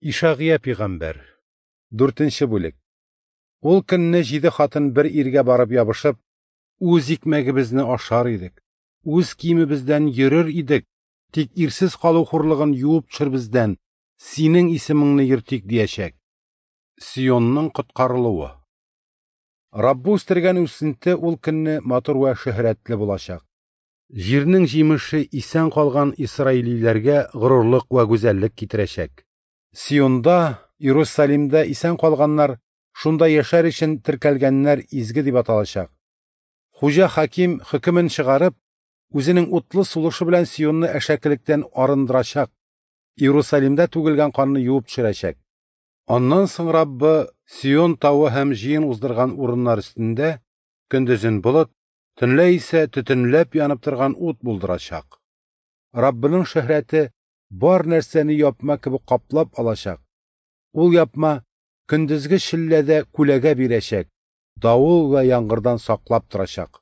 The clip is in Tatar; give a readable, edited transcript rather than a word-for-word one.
Ишагыя пигамбәр. Дүртенче бүлек. Ул көнне җиде хатын бер иргә барып ябышып, Үз икмәгебезне ашар идек, үз киемебездән йөрер идек, тик ирсез калу хурлыгын юып төшер бездән, синең исемеңне йөртик, диячәк. Сионның коткарылуы. Раббы үстергән үсенте ул көнне матур вә шөһрәтле булачак. Җирнең җимеше исән калган исраилиләргә горурлык вә гүзәллек китерәчәк. Сионда, Иерусалимдә исән калганнар, шунда яшәр өчен теркәлгәннәр изге дип аталачак. Хуҗа хаким хөкемен чыгарып, үзенең утлы сулышы белән Сионны әшәкелектән арындырачак, Иерусалимдә түгелгән канны юып төшерәчәк. Аннан соң Раббы Сион тавы һәм җыен уздырган урыннар өстендә көндезен болыт, төнлә исә төтенләп янып торган ут булдырачак. Раббының шөһрәте бар нәрсәне япма кебек каплап алачак. Ул япма көндезге челләдә күләгә бирәчәк, давыл вә яңгырдан саклап торачак.